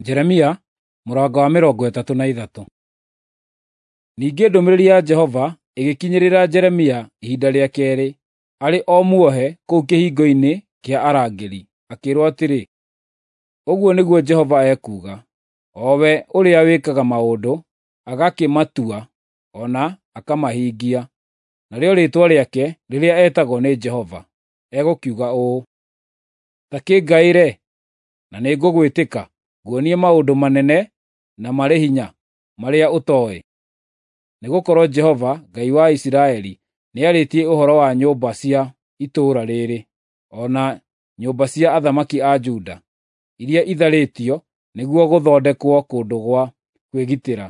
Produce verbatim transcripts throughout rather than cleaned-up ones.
Jeremia mũrango wa mĩrongo ĩtatũ na ithatũ. Ningĩ ndũmĩrĩri ya Jehova ĩgĩkinyĩrĩra Jeremia ihinda rĩa keerĩ arĩ o muohe kũu kĩhingo-inĩ kĩa arangĩri, akĩĩrwo atĩrĩ, “Ũguo nĩguo Jehova ekuuga, o we ũrĩa wĩkaga maũndũ, agakĩmatua o na akamahingia, narĩo rĩĩtwa rĩake rĩrĩa etagwo nĩ Jehova, egũkiuga ũũ: Ta kĩngaĩre, na nĩngũgwĩtĩka, nguonie maũndũ manene na marĩ hinya marĩa ũtooĩ. Nĩgũkorwo Jehova, Ngai wa Isiraeli, nĩarĩtie ũhoro wa nyũmba cia itũũra rĩĩrĩ, o na nyũmba cia athamaki a Juda, iria itharĩtio nĩguo gũthondekwo kũndũ gwa kwĩgitĩra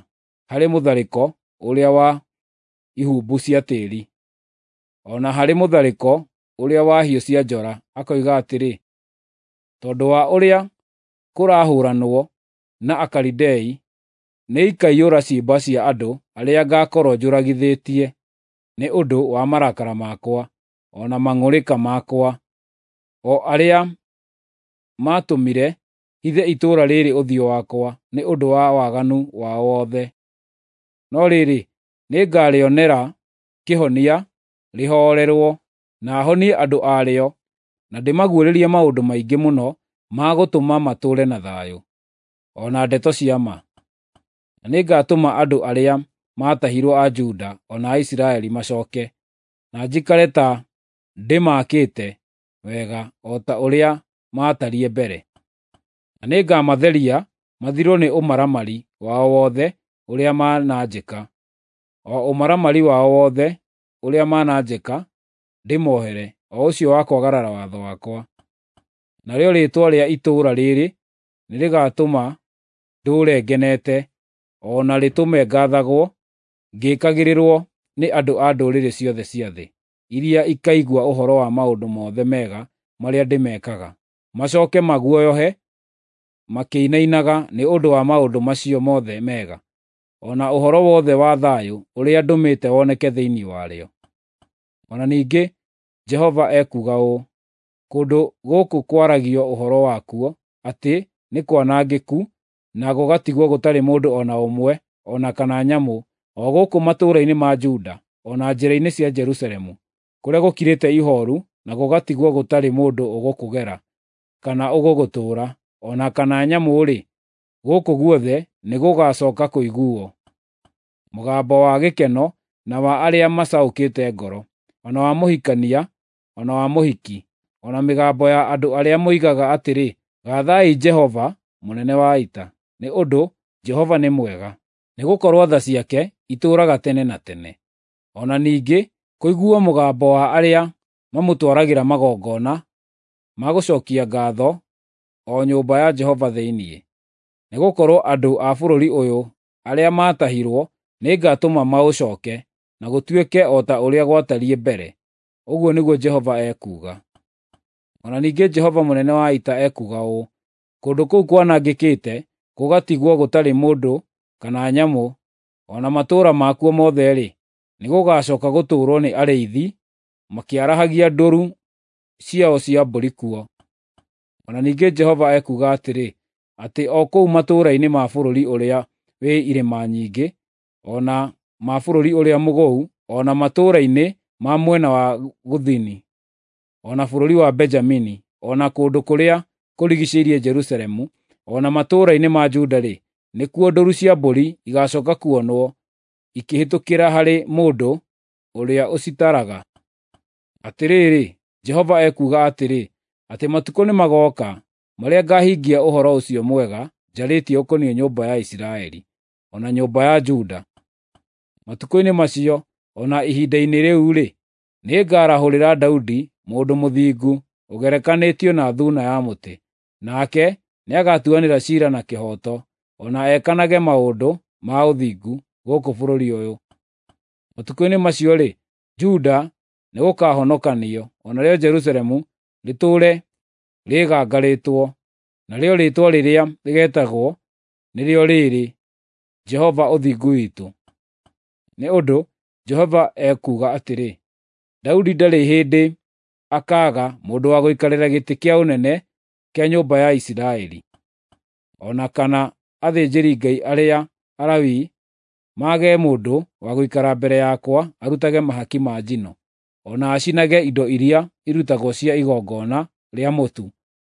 harĩ mũtharĩko ũrĩa wa ihumbu cia tĩĩri, o na harĩ mũtharĩko ũrĩa wa hiũ cia njora, akoiga atĩrĩ, ‘Tondũ wa ũrĩa kũrahũranwo na Akalidei, nĩikaiyũra ciimba cia andũ arĩa ngaakorwo njũragithĩtie nĩ ũndũ wa marakara makwa, o na mang'ũrĩka makwa, o arĩa maatũmire hithe itũũra rĩĩrĩ ũthiũ wakwa nĩ ũndũ wa waganu wao wothe. No rĩrĩ, nĩngarĩonera kĩhonia rĩhoorerwo, na honie andũ a rĩo, na ndĩmaguũrĩrie maũndũ maingĩ mũno ma gũtũma matũũre na thayũ, o na ndeto cia ma. Na nĩngatũma andũ arĩa maatahirwo a Juda o na a Isiraeli macooke, na njikare ta ndĩmaakĩte wega o ta ũrĩa maatariĩ mbere. Na nĩngamatheria mathirwo nĩ ũmaramari wao wothe ũrĩa mananjĩka, o ũmaramari wao wothe ũrĩa mananjĩka ndĩmohere, o ũcio wa kwagarara watho wakwa. Narĩo rĩĩtwa rĩa itũũra rĩĩrĩ nĩrĩgatũma ndũũre ngenete, o na rĩtũme ngaathagwo ngĩkagĩrĩrwo nĩ andũ a ndũrĩrĩ ciothe cia thĩ, iria ikaigua ũhoro wa maũndũ mothe mega marĩa ndĩmekaga, macooke maguoyohe makĩinainaga nĩ ũndũ wa maũndũ macio mothe mega, o na ũhoro wothe wa thayũ ũrĩa ndũmĩte woneke thĩinĩ warĩo. O na ningĩ Jehova ekuuga ũũ: Kũndũ gũkũ kwaragio ũhoro wakuo atĩ nĩ kwanangĩku na gũgatigwo gũtarĩ mũndũ o na ũmwe o na kana nyamũ, o gũkũ matũũra-inĩ ma Juda o na njĩra-inĩ cia Jerusalemu, kũrĩa gũkirĩte ihooru na gũgatigwo gũtarĩ mũndũ ũgũkũgera kana ũgũgũtũũra, o na kana nyamũ-rĩ, gũkũ guothe nĩgũgacooka kũiguuo mũgambo wa gĩkeno na wa arĩa macaũkĩte ngoro, o na wa mũhikania o na wa mũhiki, o na mĩgambo ya andũ arĩa moigaga atĩrĩ, ‘Gaathai Jehova mũnene wa ita, nĩ ũndũ Jehova nĩ mwega, nĩgũkorwo tha ciake itũũraga tene na tene.’ O na ningĩ kũiguuo mũgambo wa arĩa mamũtwaragĩra magongona ma gũcookia ngaatho o nyũmba ya Jehova thĩinĩ. Nĩgũkorwo andũ a bũrũri ũyũ arĩa maatahirwo nĩngatũma maũcooke, na gũtuĩke o ta ũrĩa gwatariĩ mbere, ũguo nĩguo Jehova ekuuga. O na ningĩ Jehova mũnene wa ita ekuuga ũũ: Kũndũ kũu kwanangĩkĩte gũgatigwo gũtarĩ mũndũ kana nyamũ, o na matũũra makuo mothe-rĩ, nĩgũgacooka gũtũũrwo nĩ arĩithi makĩarahagia ndũũru ciao cia mbũri kuo. O na ningĩ Jehova ekuuga atĩrĩ, atĩ o kũu matũũra-inĩ ma bũrũri ũrĩa wĩ irĩma nyingĩ, o na ma bũrũri ũrĩa mũgũu, o na matũũra-inĩ ma mwena wa gũthini, o na bũrũri wa Benjamini, o na kũndũ kũrĩa kũrigiicĩirie Jerusalemu, o na matũũra-inĩ ma Juda-rĩ, nĩkuo ndũũru cia mbũri igaacooka kuonwo ikĩhĩtũkĩra harĩ mũndũ ũrĩa ũcitaraga. Atĩrĩrĩ, Jehova ekuuga atĩrĩ, atĩ matukũ nĩmagooka marĩa ngaahingia ũhoro ũcio mwega njarĩtie ũkoniĩ nyũmba ya Isiraeli, o na nyũmba ya Juda. Matukũ-inĩ macio, o na ihinda-inĩ rĩu-rĩ, nĩngarahũrĩra Daudi mũndũ mũthingu ũgerekanĩtio na thuuna ya mũtĩ, nake nĩagatuanĩra ciira na kĩhooto, o na ekanage maũndũ ma ũthingu gũkũ bũrũri ũyũ. Matukũ-inĩ macio-rĩ, Juda nĩgũkahonokanio, o narĩo Jerusalemu rĩtũũre rĩgangarĩtwo, narĩo rĩĩtwa rĩrĩa rĩgeetagwo nĩrĩo rĩĩrĩ, Jehova Ũthingu Witũ. Nĩ ũndũ Jehova ekuuga atĩrĩ, Daudi ndarĩ hĩndĩ akaaga mũndũ wa gũikarĩra gĩtĩ kĩa ũnene kĩa nyũmba ya Isiraeli. o na kana athĩnjĩri-Ngai arĩa Alawii mage mũndũ wa gũikara mbere yakwa arutage mahaki ma njino, o na acinage indo iria irutagwo cia igongona rĩa mũtu,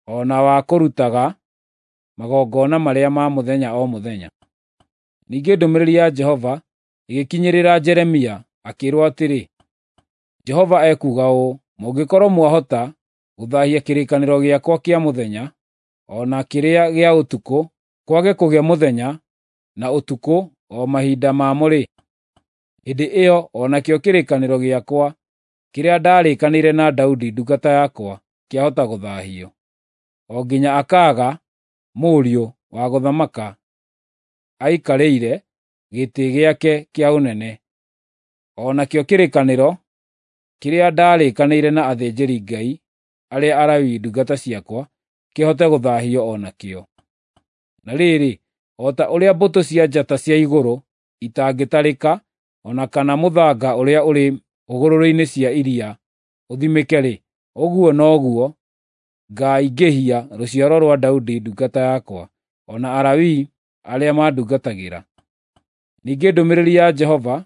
o na wa kũrutaga magongona marĩa ma mũthenya o mũthenya. Ningĩ ndũmĩrĩri ya Jehova ĩgĩkinyĩrĩra Jeremia, akĩĩrwo atĩrĩ, Jehova ekuuga ũũ: Mũngĩkorwo mwahota gũthaahia kĩrĩkanĩro gĩakwa kĩa mũthenya, o na kĩrĩa gĩa ũtukũ, kwage kũgĩa mũthenya na ũtukũ o mahinda mamo-rĩ, hĩndĩ ĩyo o nakĩo kĩrĩkanĩro gĩakwa kĩrĩa ndaarĩkanĩire na Daudi ndungata yakwa kĩahota gũthaahio, o nginya akaaga mũriũ wa gũthamaka aikarĩire gĩtĩ gĩake kĩa ũnene. O nakĩo kĩrĩkanĩro kĩrĩa ndaarĩkanĩire na athĩnjĩri-Ngai arĩa Alawii ndungata ciakwa kĩhote gũthaahio o nakĩo. Na rĩrĩ, o ta ũrĩa mbũtũ cia njata cia igũrũ itangĩtarĩka, o na kana mũthanga ũrĩa ũrĩ hũgũrũrũ-inĩ cia iria ũthimĩke-rĩ, ũguo noguo ngaaingĩhia rũciaro rwa Daudi ndungata yakwa, o na Alawii arĩa mandungatagĩra. Ningĩ ndũmĩrĩri ya Jehova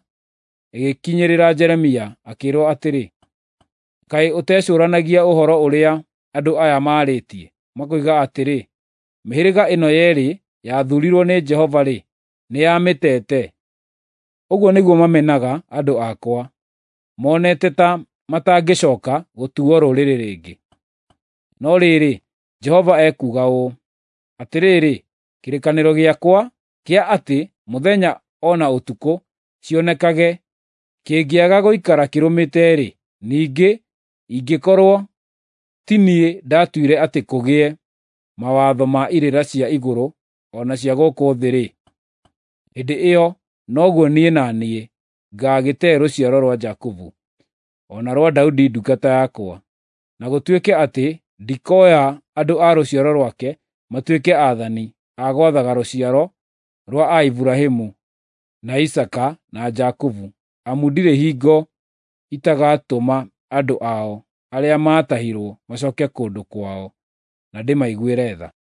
ĩgĩkinyĩrĩra Jeremia, akĩĩrwo atĩrĩ, Kaĩ ũtecũũranagia ũhoro ũrĩa andũ aya maarĩtie, makoiga atĩrĩ, ‘Mĩhĩrĩga ĩno yeerĩ yathuurirwo nĩ Jehova-rĩ, nĩyamĩtete?’ Ũguo nĩguo mamenaga andũ akwa, monete ta matangĩcooka gũtuuo rũrĩrĩ rĩngĩ. No rĩrĩ, Jehova ekuuga ũũ: Atĩrĩrĩ, kĩrĩkanĩro gĩakwa kĩa atĩ mũthenya o na ũtukũ cionekage kĩngĩaga gũikara kĩrũmĩte-rĩ, ningĩ ingĩkorwo ti niĩ ndatuire atĩ kũgĩe mawatho ma irĩra cia igũrũ o na cia gũkũ thĩ-rĩ, hĩndĩ ĩyo noguo niĩ na niĩ ngaagĩte rũciaro rwa Jakubu, o na rwa Daudi ndungata yakwa, na gũtuĩke atĩ ndikoya andũ a rũciaro rwake matuĩke aathani a gwathaga rũciaro rwa Iburahĩmu, na Isaaka na Jakubu, amu ndirĩ hingo itagatũma andũ ao arĩa maatahirwo macooke kũndũ kwao, na ndĩmaiguĩre tha.